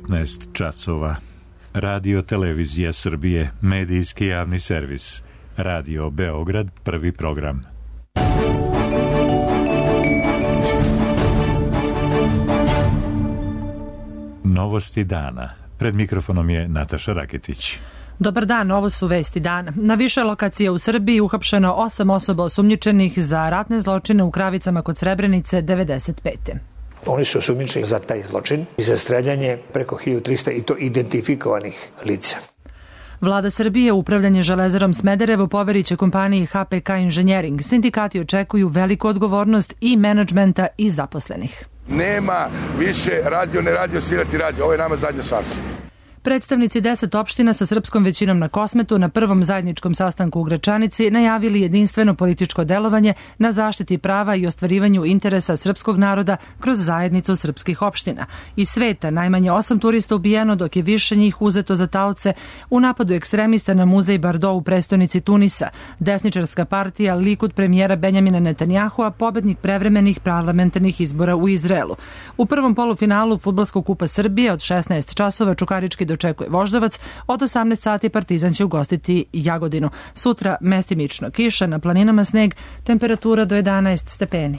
19 časova. Radio Televizija Srbije, medijski javni servis. Radio Beograd, prvi program. Novosti dana. Pred mikrofonom je Nataša Raketić. Dobar dan, ovo su vesti dana. Na više lokacija u Srbiji uhapšeno 8 osoba osumnjičenih za ratne zločine u Kravicama kod Srebrenice 95. Oni su osumnjičeni za taj zločin i za streljanje preko 1300 i to identifikovanih lica. Vlada Srbije upravljanje Železarom Smederevo poveriće kompaniji HPK Inženjering. Sindikati očekuju veliku odgovornost i menadžmenta i zaposlenih. Nema više radio, ne radio, svirati radio. Ovo je nama zadnja šansa. Predstavnici 10 opština sa srpskom većinom na Kosmetu na prvom zajedničkom sastanku u Gračanici najavili jedinstveno političko delovanje na zaštiti prava i ostvarivanju interesa srpskog naroda kroz zajednicu srpskih opština. Iz sveta najmanje 8 turista ubijeno, dok je više njih uzeto za taoce u napadu ekstremista na muzej Bardo u prestonici Tunisa. Desničarska partija Likud premijera Benjamina Netanjahua pobednik prevremenih parlamentarnih izbora u Izraelu. U prvom polufinalu Fudbalskog kupa Srbije od 16 časova Čukarički dočekuje Voždovac, od 18 sati Partizan će ugostiti Jagodinu. Sutra mestimično kiša, na planinama sneg, temperatura do 11 stepeni.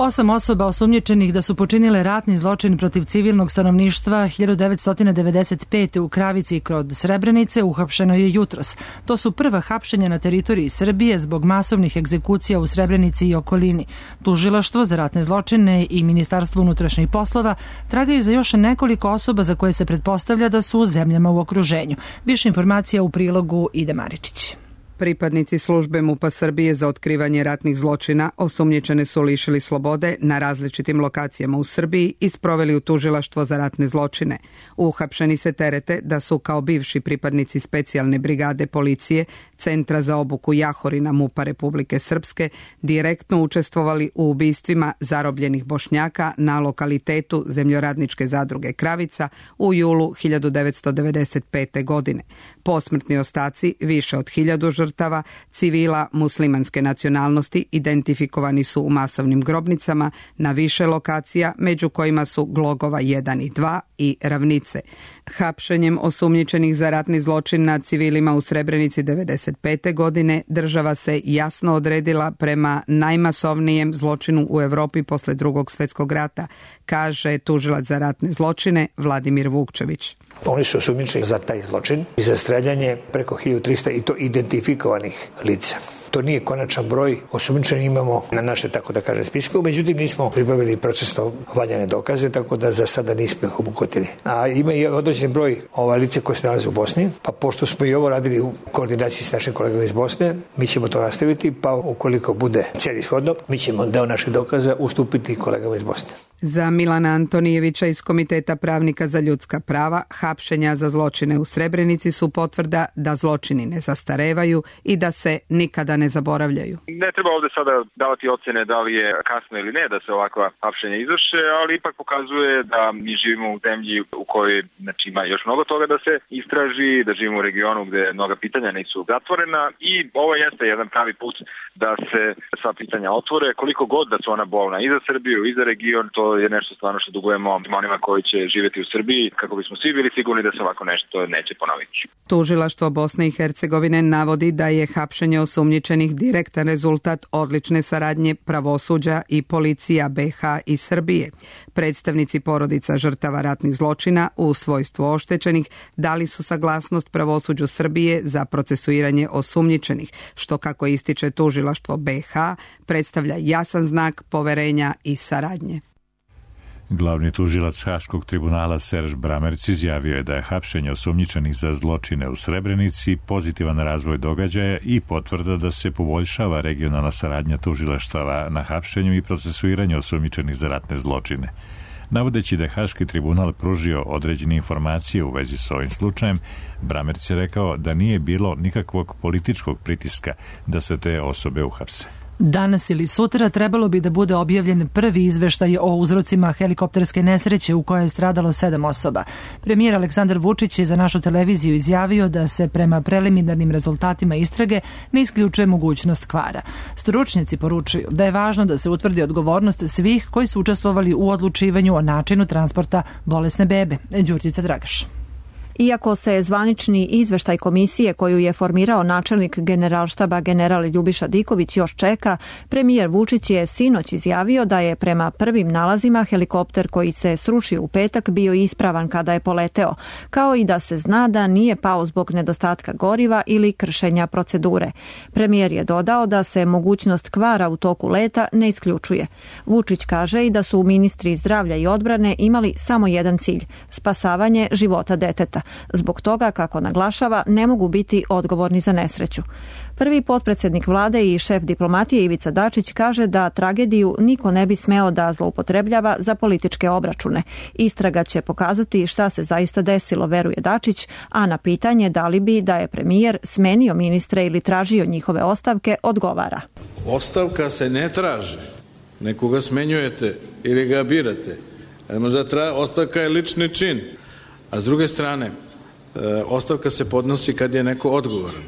8 osoba osumnjičenih da su počinile ratni zločin protiv civilnog stanovništva 1995. u Kravici kod Srebrenice uhapšeno je jutros. To su prva hapšenja na teritoriji Srbije zbog masovnih egzekucija u Srebrenici i okolini. Tužilaštvo za ratne zločine i Ministarstvo unutrašnjih poslova tragaju za još nekoliko osoba za koje se pretpostavlja da su u zemljama u okruženju. Više informacija u prilogu Ide Maričić. Pripadnici službe MUP-a Srbije za otkrivanje ratnih zločina osumnjičene su lišili slobode na različitim lokacijama u Srbiji i sproveli u tužilaštvo za ratne zločine. Uhapšeni se terete da su kao bivši pripadnici specijalne brigade policije Centra za obuku Jahorina MUP-a Republike Srpske direktno učestvovali u ubistvima zarobljenih Bošnjaka na lokalitetu Zemljoradničke zadruge Kravica u julu 1995. godine. Posmrtni ostaci više od 1000 žrtava civila muslimanske nacionalnosti identifikovani su u masovnim grobnicama na više lokacija, među kojima su Glogova 1 i 2 i Ravnice. Hapšenjem osumnjičenih za ratni zločin nad civilima u Srebrenici 1995. godine država se jasno odredila prema najmasovnijem zločinu u Evropi posle Drugog svjetskog rata, kaže tužilac za ratne zločine Vladimir Vukčević. Oni su osumnjičeni za taj zločin i za streljanje preko 1300 i to identifikovanih lica. To nije konačan broj, osumnjičeni imamo na naše, tako da kažem, spisku, međutim nismo pribavili procesno valjane dokaze, tako da za sada nismo ih obuhvatili. A ima i određen broj lice koje se nalaze u Bosni, pa pošto smo i ovo radili u koordinaciji s našim kolegama iz Bosne, mi ćemo to nastaviti, pa ukoliko bude celishodno, mi ćemo deo naših dokaza ustupiti kolegama iz Bosne. Za Milana Antonijevića iz Komiteta pravnika za ljudska prava, hapšenja za zločine u Srebrenici su potvrda da zločini ne zastarevaju i da se nikada ne zaboravljaju. Ne treba ovdje sada davati ocjene da li je kasno ili ne da se ovakva hapšenja izvrše, ali ipak pokazuje da mi živimo u zemlji u kojoj ima još mnogo toga da se istraži, da živimo u regionu gdje mnoga pitanja nisu zatvorena i ovo jeste jedan pravi put da se sva pitanja otvore, koliko god da su ona bolna i za Srbiju i za region. To je nešto stvarno što dugujemo onima koji će živjeti u Srbiji kako bismo svi bili sigurni da se ovako nešto neće ponoviti. Tužilaštvo Bosne i Hercegovine navodi da je hapšenje osumnjičenih direktan rezultat odlične saradnje pravosuđa i policija BiH i Srbije. Predstavnici porodica žrtava ratnih zločina u svojstvu oštećenih dali su saglasnost pravosuđu Srbije za procesuiranje osumnjičenih, što kako ističe tužilaštvo BiH predstavlja jasan znak poverenja i saradnje. Glavni tužilac Haškog tribunala Serž Bramerc izjavio je da je hapšenje osumnjičenih za zločine u Srebrenici pozitivan razvoj događaja i potvrda da se poboljšava regionalna saradnja tužilaštava na hapšenju i procesuiranju osumnjičenih za ratne zločine. Navodeći da je Haški tribunal pružio određene informacije u vezi s ovim slučajem, Bramerc je rekao da nije bilo nikakvog političkog pritiska da se te osobe uhapse. Danas ili sutra trebalo bi da bude objavljen prvi izveštaj o uzrocima helikopterske nesreće u kojoj je stradalo 7 osoba. Premijer Aleksandar Vučić je za našu televiziju izjavio da se prema preliminarnim rezultatima istrage ne isključuje mogućnost kvara. Stručnjaci poručuju da je važno da se utvrdi odgovornost svih koji su učestvovali u odlučivanju o načinu transporta bolesne bebe. Đurđica Dragaš. Iako se zvanični izveštaj komisije koju je formirao načelnik Generalštaba general Ljubiša Diković još čeka, premijer Vučić je sinoć izjavio da je prema prvim nalazima helikopter koji se srušio u petak bio ispravan kada je poleteo, kao i da se zna da nije pao zbog nedostatka goriva ili kršenja procedure. Premijer je dodao da se mogućnost kvara u toku leta ne isključuje. Vučić kaže i da su ministri zdravlja i odbrane imali samo jedan cilj – spasavanje života deteta. Zbog toga, kako naglašava, ne mogu biti odgovorni za nesreću. Prvi potpredsjednik vlade i šef diplomatije Ivica Dačić kaže da tragediju niko ne bi smeo da zloupotrebljava za političke obračune. Istraga će pokazati šta se zaista desilo, veruje Dačić, a na pitanje da li bi da je premijer smenio ministre ili tražio njihove ostavke, odgovara. Ostavka se ne traži. Nekoga smenjujete ili ga birate. Možda ostavka je lični čin. A s druge strane, ostavka se podnosi kad je neko odgovoran.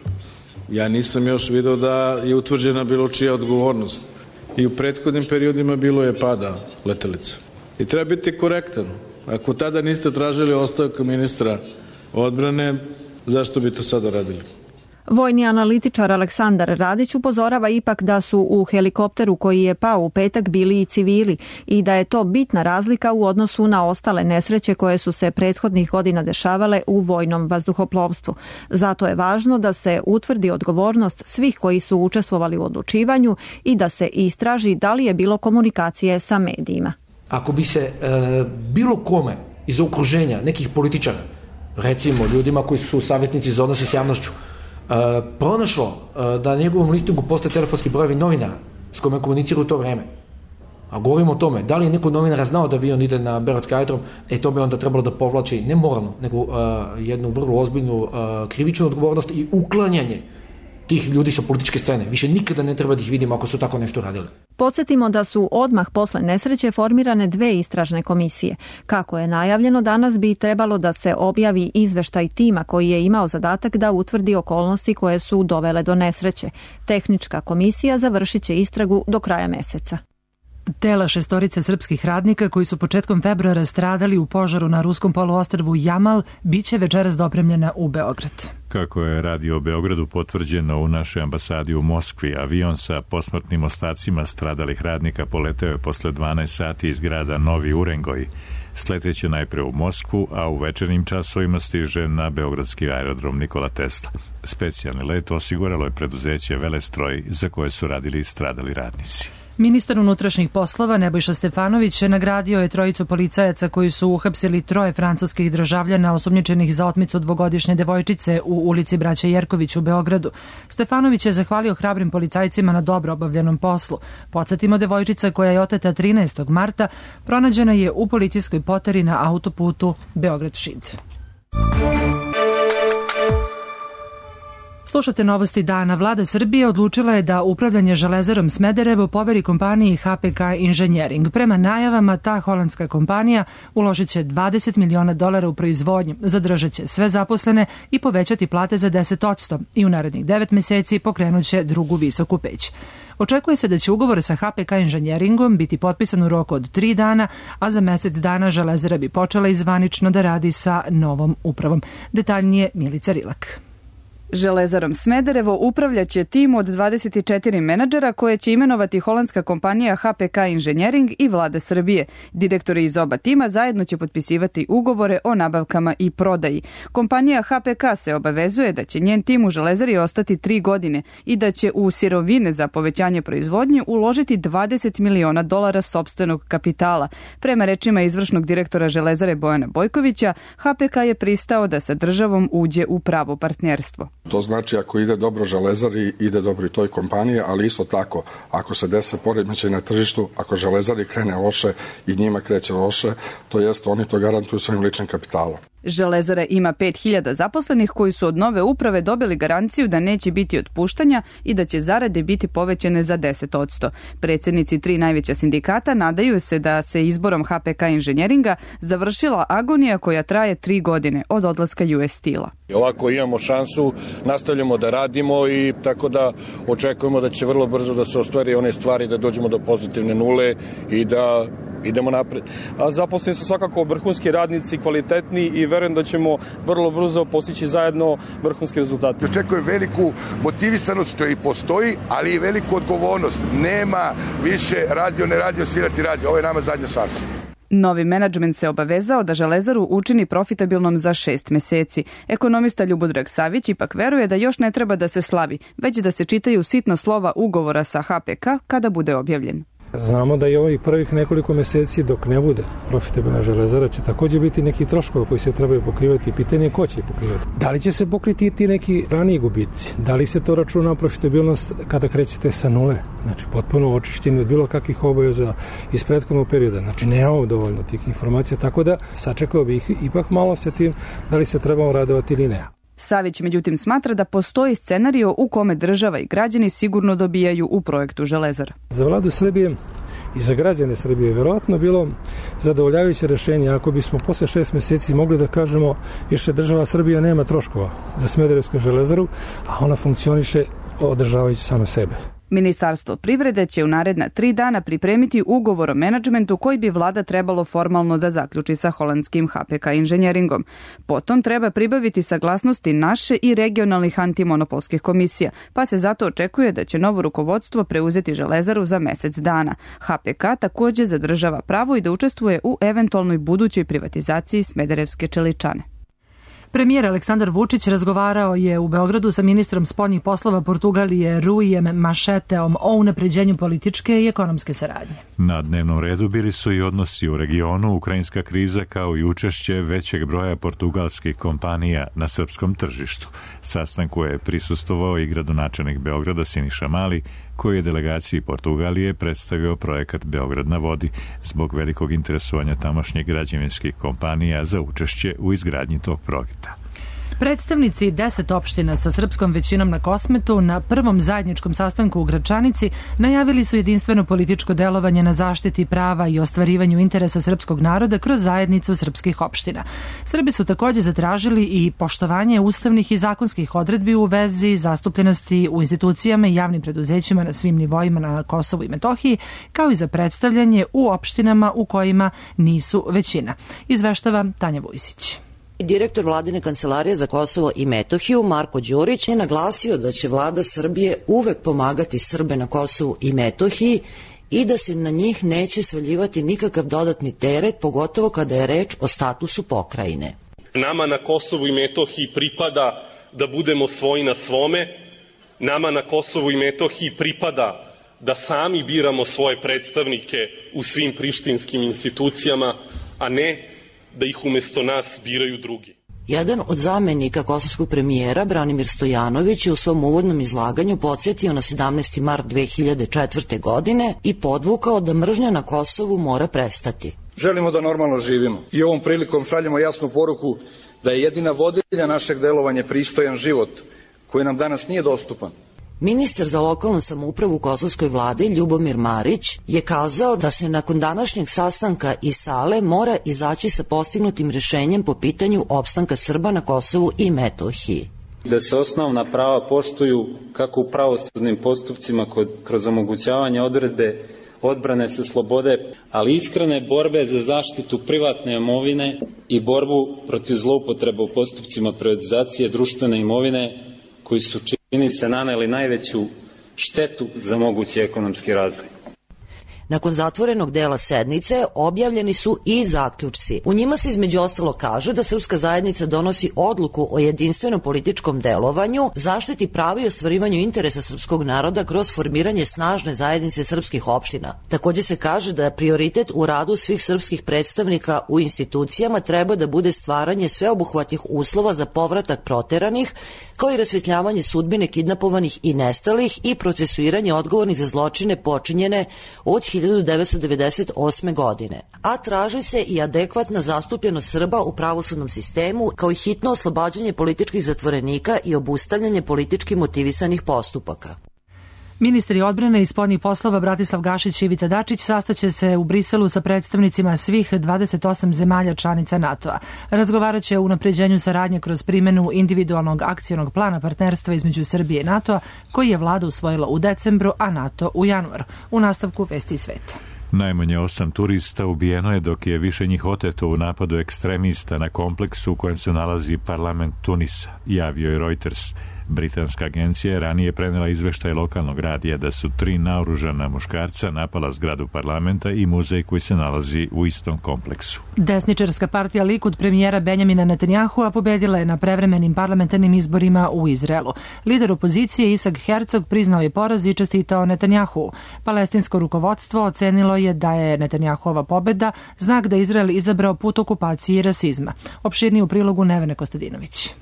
Ja nisam još video da je utvrđena bilo čija odgovornost. I u prethodnim periodima bilo je pada letelica. I treba biti korektan. Ako tada niste tražili ostavku ministra odbrane, zašto bi to sada radili? Vojni analitičar Aleksandar Radić upozorava ipak da su u helikopteru koji je pao u petak bili i civili i da je to bitna razlika u odnosu na ostale nesreće koje su se prethodnih godina dešavale u vojnom vazduhoplovstvu. Zato je važno da se utvrdi odgovornost svih koji su učestvovali u odlučivanju i da se istraži da li je bilo komunikacije sa medijima. Ako bi se bilo kome iz okruženja nekih političara, recimo ljudima koji su savjetnici za odnose s javnošću, pronašlo da na njegovom listingu postoje telefonski brojevi novinara s kojima komuniciraju u to vreme. A govorimo o tome, da li je neko novinara znao da avion ide na beogradski aerodrom, to bi onda trebalo da povlači ne moralno, nego jednu vrlo ozbiljnu krivičnu odgovornost i uklanjanje tih ljudi sa političke scene. Više nikada ne treba da ih vidimo ako su tako nešto radili. Podsjetimo da su odmah posle nesreće formirane 2 istražne komisije. Kako je najavljeno, danas bi trebalo da se objavi izveštaj tima koji je imao zadatak da utvrdi okolnosti koje su dovele do nesreće. Tehnička komisija završit će istragu do kraja meseca. Tela 6 srpskih radnika koji su početkom februara stradali u požaru na ruskom poluostrvu Jamal biće večeras dopremljena u Beograd. Kako je radio Beogradu potvrđeno u našoj ambasadi u Moskvi, avion sa posmrtnim ostacima stradalih radnika poleteo je posle 12 sati iz grada Novi Urengoj. Sleteće najpre u Moskvu, a u večernjim časovima stiže na beogradski aerodrom Nikola Tesla. Specijalni let osiguralo je preduzeće Velestroj za koje su radili stradali radnici. Ministar unutrašnjih poslova Nebojša Stefanović nagradio je 3 policajaca koji su uhapsili 3 francuskih državljana osumnjičenih za otmicu 2-godišnje devojčice u ulici Braće Jerković u Beogradu. Stefanović je zahvalio hrabrim policajcima na dobro obavljenom poslu. Podsjetimo, devojčica koja je oteta 13. marta pronađena je u policijskoj poteri na autoputu Beograd-Šid. Slušate novosti dana. Vlada Srbije odlučila je da upravljanje Železarom Smederevo poveri kompaniji HPK Inženjering. Prema najavama, ta holandska kompanija uložit će $20 miliona u proizvodnju, zadržat će sve zaposlene i povećati plate za 10% i u narednih 9 meseci pokrenut će drugu visoku peć. Očekuje se da će ugovor sa HPK Inženjeringom biti potpisan u roku od 3 dana, a za mesec dana Železara bi počela izvanično da radi sa novom upravom. Detaljnije Milica Rilak. Železarom Smederevo upravljaće tim od 24 menadžera koje će imenovati holandska kompanija HPK Inženjering i Vlada Srbije. Direktori iz oba tima zajedno će potpisivati ugovore o nabavkama i prodaji. Kompanija HPK se obavezuje da će njen tim u Železari ostati 3 godine i da će u sirovine za povećanje proizvodnje uložiti $20 miliona sopstvenog kapitala. Prema rečima izvršnog direktora Železare Bojana Bojkovića, HPK je pristao da sa državom uđe u pravo partnerstvo. To znači ako ide dobro Železari, ide dobro i toj kompaniji, ali isto tako ako se dese poremećaj na tržištu, ako Železari krene loše i njima kreće loše, to jest oni to garantuju svojim ličnim kapitalom. Železara ima 5000 zaposlenih koji su od nove uprave dobili garanciju da neće biti otpuštanja i da će zarade biti povećane za 10%. Predsjednici 3 najveća sindikata nadaju se da se izborom HPK Inženjeringa završila agonija koja traje 3 godine od odlaska US Steel-a. Ovako imamo šansu, nastavljamo da radimo i tako da očekujemo da će vrlo brzo da se ostvari one stvari, da dođemo do pozitivne nule i da idemo napred. A zaposleni su svakako vrhunski radnici, kvalitetni i verujem da ćemo vrlo brzo postići zajedno vrhunski rezultate. Očekujem veliku motivisanost što i postoji, ali i veliku odgovornost. Nema više radio, ne radio, svirati radio. Ovo je nama zadnja šansa. Novi menadžment se obavezao da Železaru učini profitabilnom za 6 meseci. Ekonomista Ljubodrag Savić ipak veruje da još ne treba da se slavi, već da se čitaju sitna slova ugovora sa HPK kada bude objavljen. Znamo da i ovih prvih nekoliko meseci dok ne bude profitabilna Železara će također biti neki troškovi koji se trebaju pokrivati. Pitanje je ko će ih pokrivati. Da li će se pokriti ti neki raniji gubici? Da li se to računa profitabilnost kada krećete sa nule? Znači potpuno očišćeni od bilo kakvih obaveza iz prethodnog perioda. Znači nemamo dovoljno tih informacija, tako da sačekao bih ipak malo sa tim da li se trebamo radovati ili ne. Savić međutim smatra da postoji scenario u kome država i građani sigurno dobijaju u projektu Železara. Za vladu Srbije i za građane Srbije je verovatno bilo zadovoljavajuće rešenje ako bismo posle 6 meseci mogli da kažemo više država Srbija nema troškova za Smederevsku Železaru, a ona funkcioniše održavajući samo sebe. Ministarstvo privrede će u naredna 3 dana pripremiti ugovor o menadžmentu koji bi vlada trebalo formalno da zaključi sa holandskim HPK Inženjeringom. Potom treba pribaviti saglasnosti naše i regionalnih antimonopolskih komisija, pa se zato očekuje da će novo rukovodstvo preuzeti Železaru za mesec dana. HPK također zadržava pravo i da učestvuje u eventualnoj budućoj privatizaciji Smederevske čeličane. Premijer Aleksandar Vučić razgovarao je u Beogradu sa ministrom spoljnih poslova Portugalije Ruijem Mašeteom o unapređenju političke i ekonomske saradnje. Na dnevnom redu bili su i odnosi u regionu, ukrajinska kriza kao i učešće većeg broja portugalskih kompanija na srpskom tržištu. Sastanku je prisustvovao i gradonačelnik Beograda Siniša Mali, koji je delegaciji Portugalije predstavio projekat Beograd na vodi zbog velikog interesovanja tamošnjih građevinskih kompanija za učešće u izgradnji tog projekta. Predstavnici 10 opština sa srpskom većinom na Kosmetu na prvom zajedničkom sastanku u Gračanici najavili su jedinstveno političko delovanje na zaštiti prava i ostvarivanju interesa srpskog naroda kroz zajednicu srpskih opština. Srbi su također zatražili i poštovanje ustavnih i zakonskih odredbi u vezi zastupljenosti u institucijama i javnim preduzećima na svim nivoima na Kosovu i Metohiji, kao i za predstavljanje u opštinama u kojima nisu većina. Izveštava Tanja Vujsić. Direktor vladine kancelarije za Kosovo i Metohiju Marko Đurić je naglasio da će vlada Srbije uvek pomagati Srbe na Kosovu i Metohiji i da se na njih neće svaljivati nikakav dodatni teret, pogotovo kada je reč o statusu pokrajine. Nama na Kosovu i Metohiji pripada da budemo svoji na svome, nama na Kosovu i Metohiji pripada da sami biramo svoje predstavnike u svim prištinskim institucijama, a ne da ih umjesto nas biraju drugi. Jedan od zamenika kosovskog premijera, Branimir Stojanović, je u svom uvodnom izlaganju podsjetio na 17. mart 2004. godine i podvukao da mržnja na Kosovu mora prestati. Želimo da normalno živimo i ovom prilikom šaljemo jasnu poruku da je jedina vodilja našeg delovanja pristojan život, koji nam danas nije dostupan. Ministar za lokalnu samoupravu u kosovskoj vladi Ljubomir Marić je kazao da se nakon današnjeg sastanka iz sale mora izaći sa postignutim rješenjem po pitanju opstanka Srba na Kosovu i Metohiji. Da se osnovna prava poštuju kako u pravosudnim postupcima kroz omogućavanje odredbe odbrane sa slobode, ali iskrene borbe za zaštitu privatne imovine i borbu protiv zloupotreba u postupcima privatizacije društvene imovine koji su čini se naneli najveću štetu za mogući ekonomski razvoj. Nakon zatvorenog dela sednice objavljeni su i zaključci. U njima se između ostalo kaže da srpska zajednica donosi odluku o jedinstvenom političkom delovanju, zaštiti prava i ostvarivanju interesa srpskog naroda kroz formiranje snažne zajednice srpskih opština. Također se kaže da je prioritet u radu svih srpskih predstavnika u institucijama treba da bude stvaranje sveobuhvatnih uslova za povratak proteranih, kao i rasvetljavanje sudbine kidnapovanih i nestalih i procesuiranje odgovornih za zločine počinjene od 1998. godine, a traži se i adekvatna zastupljenost Srba u pravosudnom sistemu, kao i hitno oslobađanje političkih zatvorenika i obustavljanje politički motivisanih postupaka. Ministri odbrane i spoljnih poslova Bratislav Gašić i Ivica Dačić sastaće se u Briselu sa predstavnicima svih 28 zemalja članica NATO-a. Razgovarat će o unapređenju saradnje kroz primjenu individualnog akcionog plana partnerstva između Srbije i NATO-a, koji je vlada usvojila u decembru, a NATO u januaru. U nastavku Vesti sveta. Najmanje 8 turista ubijeno je, dok je više njih oteto u napadu ekstremista na kompleksu u kojem se nalazi parlament Tunisa, javio je Reuters. Britanska agencija je ranije prenela izveštaj lokalnog radija da su 3 naoružana muškarca napala zgradu parlamenta i muzej koji se nalazi u istom kompleksu. Desničarska partija Likud premijera Benjamina Netanjahua pobedila je na prevremenim parlamentarnim izborima u Izraelu. Lider opozicije Isaac Herzog priznao je poraz i čestitao Netanjahuu. Palestinsko rukovodstvo ocenilo je da je Netanjahuova pobeda znak da Izrael izabrao put okupacije i rasizma. Opširnije u prilogu Nevene Kostadinović.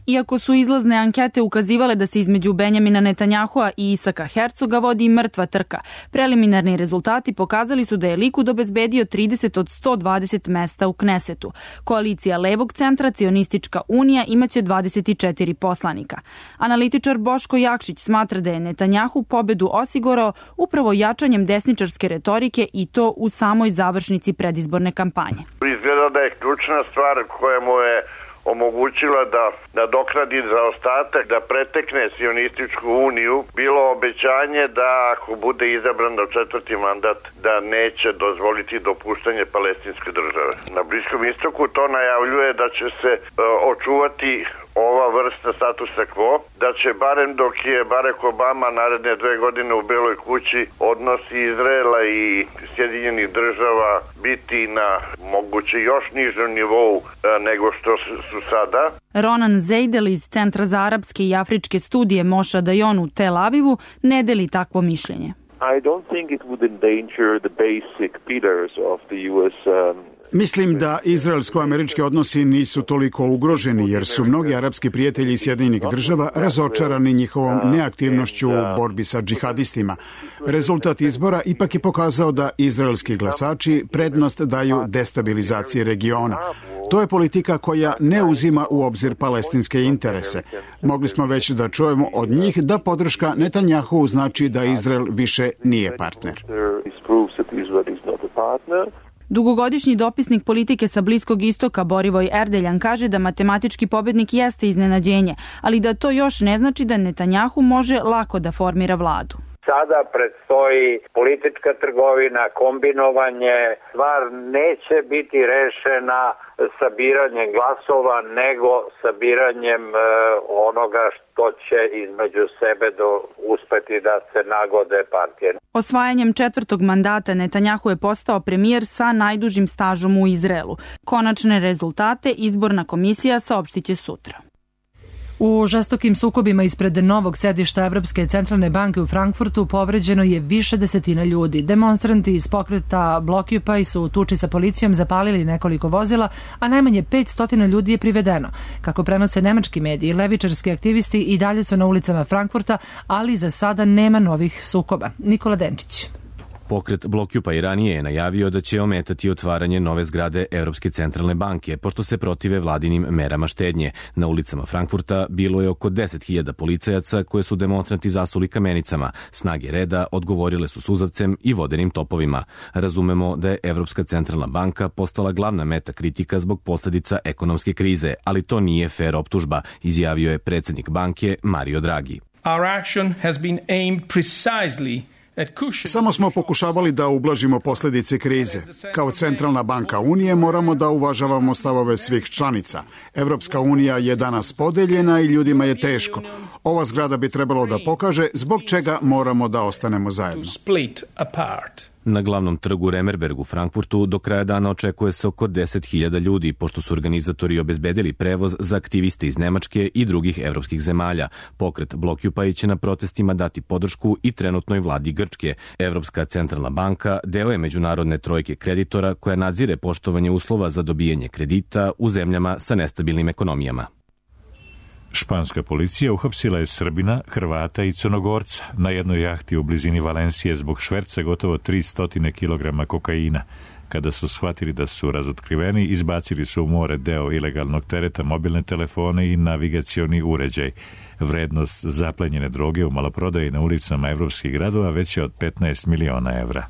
Iako su izlazne ankete ukazivale da se između Benjamina Netanjahua i Isaka Hercoga vodi mrtva trka, preliminarni rezultati pokazali su da je Likud obezbedio 30 od 120 mesta u Knesetu. Koalicija levog centra, Cionistička unija, imaće 24 poslanika. Analitičar Boško Jakšić smatra da je Netanjahu pobedu osigurao upravo jačanjem desničarske retorike i to u samoj završnici predizborne kampanje. Izgleda da je ključna stvar koja mu je omogućila da nadoknadi zaostatak, da pretekne Sionističku uniju, bilo obećanje da ako bude izabran na 4. mandat, da neće dozvoliti dopuštanje palestinske države. Na Bliskom istoku to najavljuje da će se očuvati ova vrsta statusa quo, da će barem dok je Barack Obama naredne 2 godine u Beloj kući, odnosi Izraela i Sjedinjenih država biti na moguće još nižem nivou nego što su sada. Ronan Zeidel iz Centra za arapske i afričke studije Moša Dajon u Tel Avivu ne deli takvo mišljenje. I don't think it would endanger the basic pillars of the US Mislim da izraelsko-američki odnosi nisu toliko ugroženi, jer su mnogi arapski prijatelji Sjedinjenih država razočarani njihovom neaktivnošću u borbi sa džihadistima. Rezultat izbora ipak je pokazao da izraelski glasači prednost daju destabilizaciji regiona. To je politika koja ne uzima u obzir palestinske interese. Mogli smo već da čujemo od njih da podrška Netanjahu znači da Izrael više nije partner. Dugogodišnji dopisnik politike sa Bliskog istoka Borivoj Erdeljan kaže da matematički pobednik jeste iznenađenje, ali da to još ne znači da Netanjahu može lako da formira vladu. Sada predstoji politička trgovina, kombinovanje. Stvar neće biti rešena sabiranjem glasova, nego sabiranjem onoga što će između sebe uspeti da se nagode partije. Osvajanjem 4. mandata Netanjahu je postao premijer sa najdužim stažom u Izraelu. Konačne rezultate izborna komisija saopštiće sutra. U žestokim sukobima ispred novog sedišta Evropske centralne banke u Frankfurtu povređeno je više desetina ljudi. Demonstranti iz pokreta Blockupy su u tuči sa policijom zapalili nekoliko vozila, a najmanje 500 ljudi je privedeno. Kako prenose nemački mediji, levičarski aktivisti i dalje su na ulicama Frankfurta, ali za sada nema novih sukoba. Nikola Denčić. Pokret Blockupy ranije je najavio da će ometati otvaranje nove zgrade Evropske centralne banke, pošto se protive vladinim merama štednje. Na ulicama Frankfurta bilo je oko 10.000 policajaca koje su demonstranti zasuli kamenicama. Snage reda odgovorile su suzavcem i vodenim topovima. Razumemo da je Evropska centralna banka postala glavna meta kritika zbog posljedica ekonomske krize, ali to nije fer optužba, izjavio je predsjednik banke Mario Draghi. Our action has been aimed precisely. Samo smo pokušavali da ublažimo posljedice krize. Kao centralna banka Unije moramo da uvažavamo stavove svih članica. Evropska unija je danas podeljena i ljudima je teško. Ova zgrada bi trebalo da pokaže zbog čega moramo da ostanemo zajedno. Na glavnom trgu Remerberg u Frankfurtu do kraja dana očekuje se oko 10.000 ljudi, pošto su organizatori obezbedili prevoz za aktiviste iz Nemačke i drugih evropskih zemalja. Pokret Blockupy će na protestima dati podršku i trenutnoj vladi Grčke. Evropska centralna banka deo je međunarodne trojke kreditora koja nadzire poštovanje uslova za dobijanje kredita u zemljama sa nestabilnim ekonomijama. Španska policija uhapsila je Srbina, Hrvata i Crnogorca na jednoj jahti u blizini Valencije zbog šverca gotovo 300 kg kokaina. Kada su shvatili da su razotkriveni, izbacili su u more deo ilegalnog tereta, mobilne telefone i navigacioni uređaj. Vrednost zaplenjene droge u maloprodaji na ulicama evropskih gradova veća od 15 miliona evra.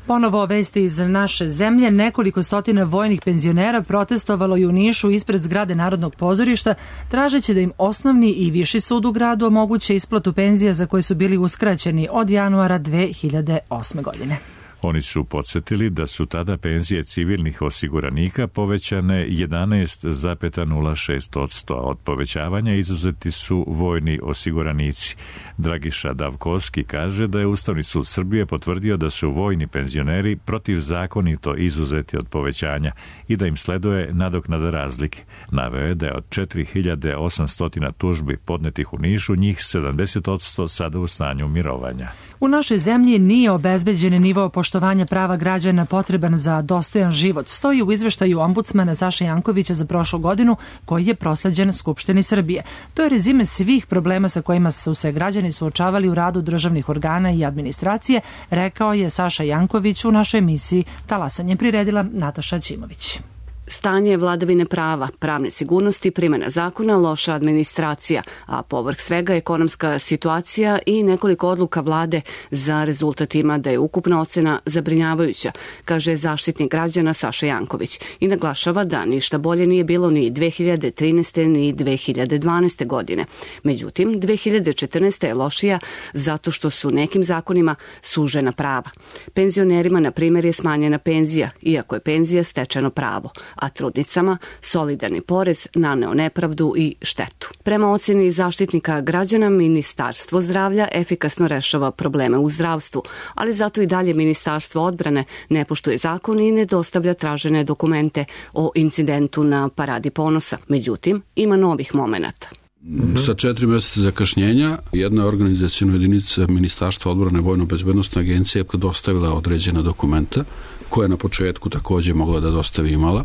Ponovo vesti iz naše zemlje. Nekoliko stotina vojnih penzionera protestovalo je u Nišu ispred zgrade Narodnog pozorišta, tražeći da im osnovni i viši sud u gradu omoguće isplatu penzija za koje su bili uskraćeni od januara 2008. godine. Oni su podsjetili da su tada penzije civilnih osiguranika povećane 11,06%. Od povećavanja izuzeti su vojni osiguranici. Dragiša Davkovski kaže da je Ustavni sud Srbije potvrdio da su vojni penzioneri protivzakonito izuzeti od povećanja i da im sleduje nadoknada razlike. Naveo je da je od 4800 tužbi podnetih u Nišu, njih 70% sada u stanju mirovanja. U našoj zemlji nije obezbeđen nivo poštovanja prava građana potreban za dostojan život, stoji u izveštaju ombudsmana Saše Jankovića za prošlu godinu, koji je prosleđen Skupštini Srbije. To je rezime svih problema sa kojima su se građani suočavali u radu državnih organa i administracije, rekao je Saša Janković u našoj emisiji Talasanje. Priredila Nataša Ćimović. Stanje vladavine prava, pravne sigurnosti, primjena zakona, loša administracija, a povrh svega ekonomska situacija i nekoliko odluka vlade za rezultat ima da je ukupna ocena zabrinjavajuća, kaže Zaštitnik građana Saša Janković i naglašava da ništa bolje nije bilo ni 2013. ni 2012. godine. Međutim, 2014. je lošija zato što su nekim zakonima sužena prava. Penzionerima, na primjer, je smanjena penzija, iako je penzija stečeno pravo, a trudnicama solidarni porez naneo nepravdu i štetu. Prema oceni Zaštitnika građana, Ministarstvo zdravlja efikasno rešava probleme u zdravstvu, ali zato i dalje Ministarstvo odbrane ne poštuje zakon i ne dostavlja tražene dokumente o incidentu na Paradi ponosa. Međutim, ima novih momenata. Sa 4 mjeseca zakašnjenja jedna organizacijna jedinica Ministarstva odbrane Vojno-bezbednostne agencije je dostavila određena dokumenta koja je na početku također mogla da dostavi imala.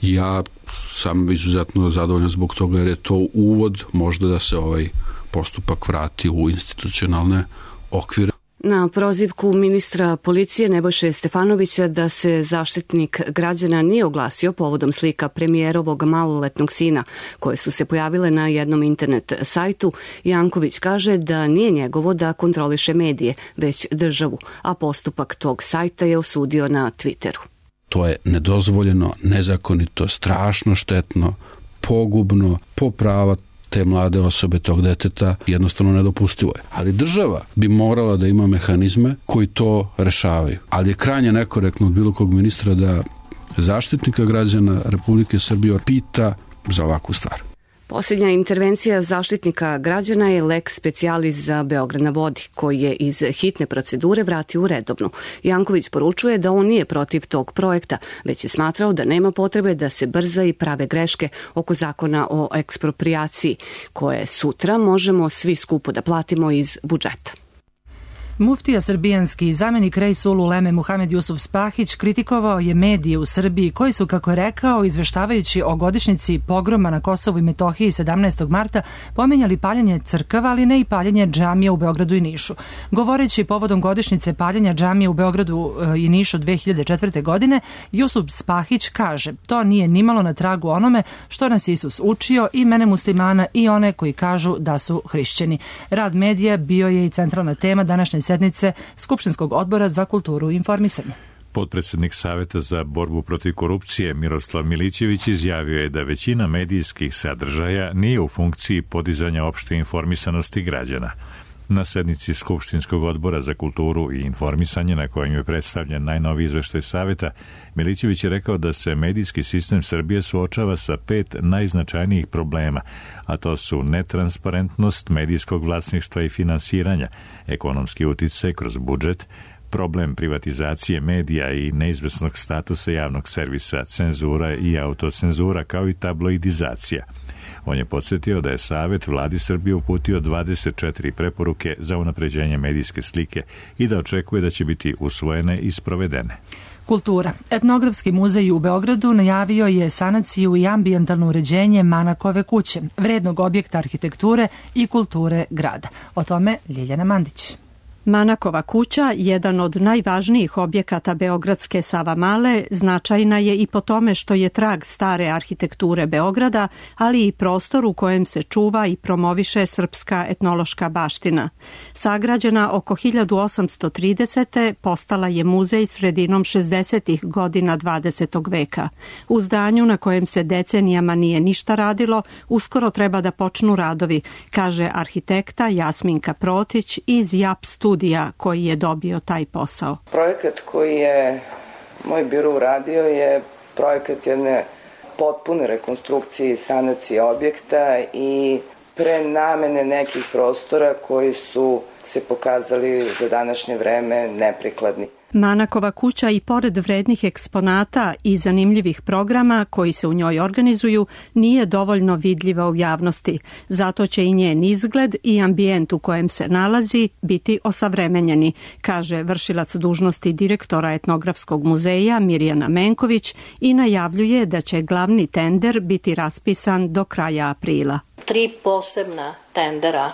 Ja sam izuzetno zadovoljan zbog toga jer je to uvod možda da se ovaj postupak vrati u institucionalne okvire. Na prozivku ministra policije Nebojše Stefanovića da se Zaštitnik građana nije oglasio povodom slika premijerovog maloletnog sina koje su se pojavile na jednom internet sajtu, Janković kaže da nije njegovo da kontroliše medije, već državu, a postupak tog sajta je osudio na Twitteru. To je nedozvoljeno, nezakonito, strašno štetno, pogubno, po prava te mlade osobe, tog deteta, jednostavno nedopustivo je. Ali država bi morala da ima mehanizme koji to rešavaju. Ali je krajnje nekorektno od bilo kog ministra da Zaštitnika građana Republike Srbije pita za ovakvu stvar. Posljednja intervencija Zaštitnika građana je lex specialis za Beograd na vodi, koji je iz hitne procedure vratio u redovnu. Janković poručuje da on nije protiv tog projekta, već je smatrao da nema potrebe da se brza i prave greške oko zakona o eksproprijaciji, koje sutra možemo svi skupo da platimo iz budžeta. Muftija srbijanski zamenik Rejsul Uleme Muhamed Jusuf Spahić kritikovao je medije u Srbiji koji su, kako je rekao, izveštavajući o godišnjici pogroma na Kosovu i Metohiji 17. marta, pominjali paljenje crkava, ali ne i paljenje džamija u Beogradu i Nišu. Govoreći povodom godišnjice paljenja džamija u Beogradu i Nišu 2004. godine, Jusuf Spahić kaže: to nije nimalo na tragu onome što nas Isus učio i mene muslimana i one koji kažu da su hrišćani. Rad medija bio je i centralna tema današnje sednice Skupštinskog odbora za kulturu i informisanje. Potpredsjednik Saveta za borbu protiv korupcije Miroslav Milićević izjavio je da većina medijskih sadržaja nije u funkciji podizanja opšte informisanosti građana. Na sednici Skupštinskog odbora za kulturu i informisanje, na kojem je predstavljen najnoviji izveštaj Saveta, Milićević je rekao da se medijski sistem Srbije suočava sa 5 najznačajnijih problema, a to su netransparentnost medijskog vlasništva i finansiranja, ekonomski uticaj kroz budžet, problem privatizacije medija i neizvesnog statusa javnog servisa, cenzura i autocenzura, kao i tabloidizacija. On je podsjetio da je Savet vladi Srbije uputio 24 preporuke za unapređenje medijske slike i da očekuje da će biti usvojene i sprovedene. Kultura. Etnografski muzej u Beogradu najavio je sanaciju i ambijentalno uređenje Manakove kuće, vrednog objekta arhitekture i kulture grada. O tome Ljiljana Mandić. Manakova kuća, jedan od najvažnijih objekata beogradske Savamale, značajna je i po tome što je trag stare arhitekture Beograda, ali i prostor u kojem se čuva i promoviše srpska etnološka baština. Sagrađena oko 1830. postala je muzej sredinom 60. godina 20. veka. U zdanju na kojem se decenijama nije ništa radilo, uskoro treba da počnu radovi, kaže arhitekta Jasminka Protić iz JAP studija koji je dobio taj posao. Projekat koji je moj biro uradio je projekat jedne potpune rekonstrukcije i sanacije objekta i prenamene nekih prostora koji su se pokazali za današnje vreme neprikladni. Manakova kuća i pored vrednih eksponata i zanimljivih programa koji se u njoj organizuju nije dovoljno vidljiva u javnosti. Zato će i njen izgled i ambijent u kojem se nalazi biti osavremenjeni, kaže vršilac dužnosti direktora Etnografskog muzeja Mirjana Menković i najavljuje da će glavni tender biti raspisan do kraja aprila. 3 posebna tendera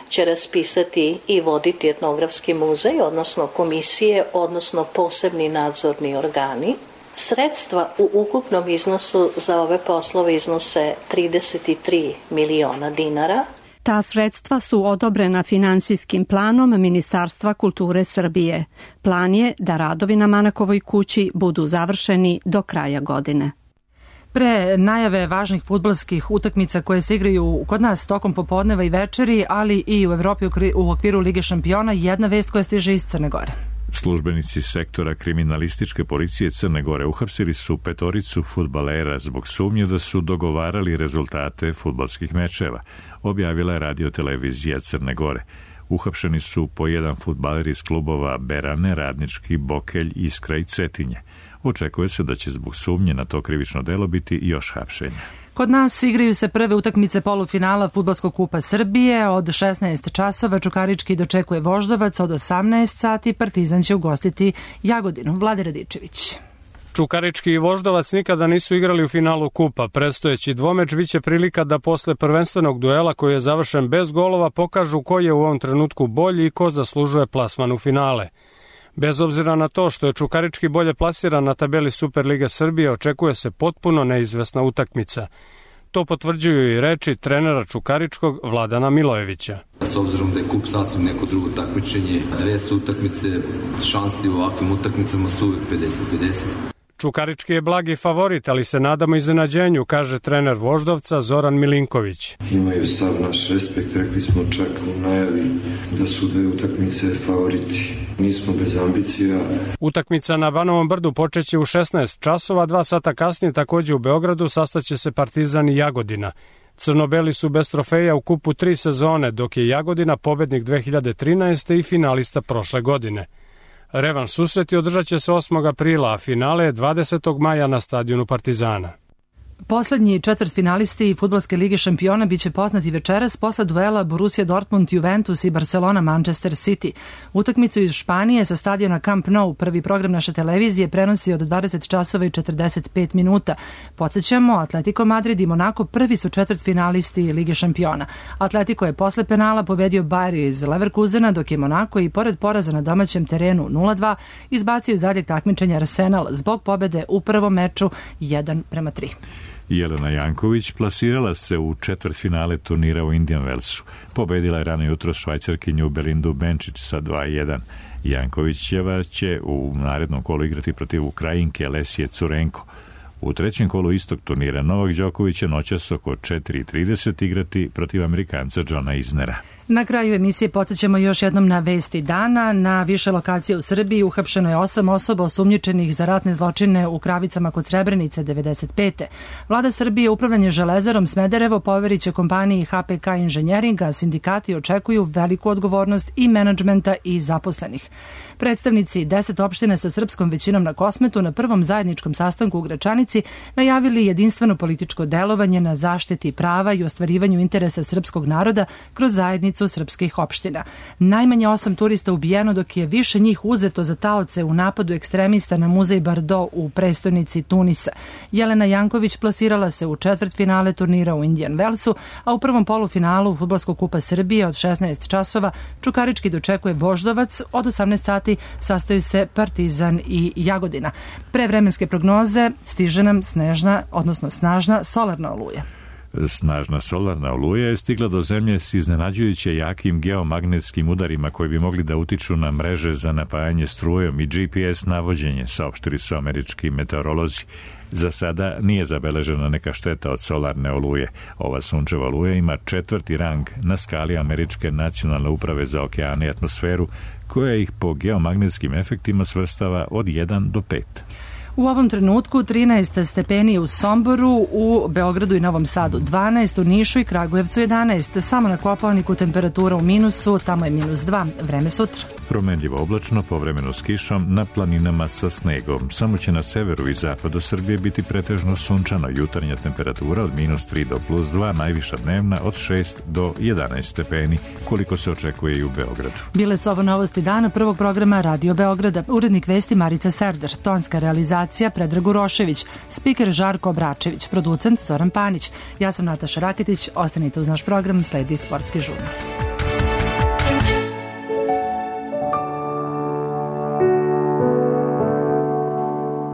će raspisati i voditi Etnografski muzej, odnosno komisije, odnosno posebni nadzorni organi. Sredstva u ukupnom iznosu za ove poslove iznose 33 miliona dinara. Ta sredstva su odobrena finansijskim planom Ministarstva kulture Srbije. Plan je da radovi na Manakovoj kući budu završeni do kraja godine. Pre najave važnih fudbalskih utakmica koje se igraju kod nas tokom popodneva i večeri, ali i u Evropi u okviru Lige šampiona, jedna vest koja stiže iz Crne Gore. Službenici sektora kriminalističke policije Crne Gore uhapsili su 5 fudbalera zbog sumnje da su dogovarali rezultate fudbalskih mečeva, objavila je radio-televizija Crne Gore. Uhapšeni su po 1 fudbaler iz klubova Berane, Radnički, Bokelj, Iskra i Cetinje. Očekuje se da će zbog sumnje na to krivično delo biti još hapšenja. Kod nas igraju se prve utakmice polufinala Fudbalskog kupa Srbije. Od 16 časova Čukarički dočekuje Voždovac, od 18 sati Partizan će ugostiti Jagodinu. Vlade Radičević. Čukarički i Voždovac nikada nisu igrali u finalu kupa. Predstojeći dvomeč biće prilika da posle prvenstvenog duela koji je završen bez golova pokažu ko je u ovom trenutku bolji i ko zaslužuje plasman u finale. Bez obzira na to što je Čukarički bolje plasiran na tabeli Superlige Srbije, očekuje se potpuno neizvesna utakmica. To potvrđuju i reči trenera Čukaričkog Vladana Milojevića. S obzirom da je kup sasvim neko drugo takmičenje, 2 su utakmice, šansi u ovakvim utakmicama su uvijek 50-50. Čukarički je blagi favorit, ali se nadamo iznenađenju, kaže trener Voždovca Zoran Milinković. Imaju sav naš respekt, rekli smo čak u najavi da su 2 utakmice favoriti. Nismo bez ambicija. Utakmica na Banovom Brdu počeće u 16 časova, 2 sata kasnije takođe u Beogradu sastaće se Partizan i Jagodina. Crnobeli su bez trofeja u kupu 3 sezone, dok je Jagodina pobednik 2013. i finalista prošle godine. Revanš susreti održat će se 8. aprila, a finale je 20. maja na stadionu Partizana. Poslednji četvrtfinalisti Fudbalske lige šampiona biće poznati večeras posle duela Borussia Dortmund, Juventus i Barcelona Manchester City. Utakmicu iz Španije sa stadiona Camp Nou prvi program naše televizije prenosi od 20 časova i 45 minuta. Podsjećamo, Atletico Madrid i Monaco prvi su četvrtfinalisti Lige šampiona. Atletico je posle penala pobedio Bayer iz Leverkusena, dok je Monaco i pored poraza na domaćem terenu 0-2 izbacio iz daljeg takmičenja Arsenal zbog pobede u prvom meču 1-3. Jelena Janković plasirala se u četvrtfinale turnira u Indian Wellsu. Pobedila je rano jutro Švajcarkinju Belindu Benčić sa 2-1. Jankovićeva će u narednom kolu igrati protiv Ukrajinke Lesije Curenko. U trećem kolu istog turnira Novak Đoković će noćas oko 4:30 igrati protiv Amerikanca Johna Isnera. Na kraju emisije podsjećamo još jednom na vesti dana. Na više lokacije u Srbiji uhapšeno je 8 osoba osumnjičenih za ratne zločine u Kravicama kod Srebrenice 95. Vlada Srbije upravljanje Železarom Smederevo poveriće kompaniji HPK Inženjering, a sindikati očekuju veliku odgovornost i menadžmenta i zaposlenih. Predstavnici 10 opština sa srpskom većinom na Kosmetu na prvom zajedničkom sastanku u Gračanici Grčanici najavili jedinstveno političko delovanje na zaštiti prava i ostvarivanju interesa srpskog naroda kroz zajednicu srpskih opština. Najmanje 8 turista ubijeno, dok je više njih uzeto za taoce u napadu ekstremista na muzej Bardo u prestonici Tunisa. Jelena Janković plasirala se u četvrtfinale turnira u Indian Wellsu, a u prvom polufinalu Fudbalskog kupa Srbije od 16 časova Čukarički dočekuje Voždovac, od 18 sati sastaju se Partizan i Jagodina. Pre vremenske prognoze stiže nam snažna solarna oluja. Snažna solarna oluja je stigla do zemlje s iznenađujuće jakim geomagnetskim udarima koji bi mogli da utiču na mreže za napajanje strujom i GPS navođenje, saopštili su američki meteorolozi. Za sada nije zabeležena neka šteta od solarne oluje. Ova sunčeva oluja ima 4. rang na skali Američke nacionalne uprave za okeane i atmosferu, koja ih po geomagnetskim efektima svrstava od 1 do 5. U ovom trenutku 13 stepeni u Somboru, u Beogradu i Novom Sadu 12, u Nišu i Kragujevcu 11. Samo na Kopaoniku temperatura u minusu, tamo je -2. Vreme sutra. Promenljivo oblačno, povremeno s kišom, na planinama sa snegom. Samo će na severu i zapadu Srbije biti pretežno sunčano. Jutarnja temperatura od -3 do +2, najviša dnevna od 6 do 11 stepeni, koliko se očekuje i u Beogradu. Bile su ovo novosti dana prvog programa Radio Beograda. Urednik vesti Marica Serder, tonska realizacija Predrag Urošević, spiker Žarko Obračević, producent Zoran Panić. Ja sam Nataša Raketić, ostanite uz naš program, sledi Sportski žurnal.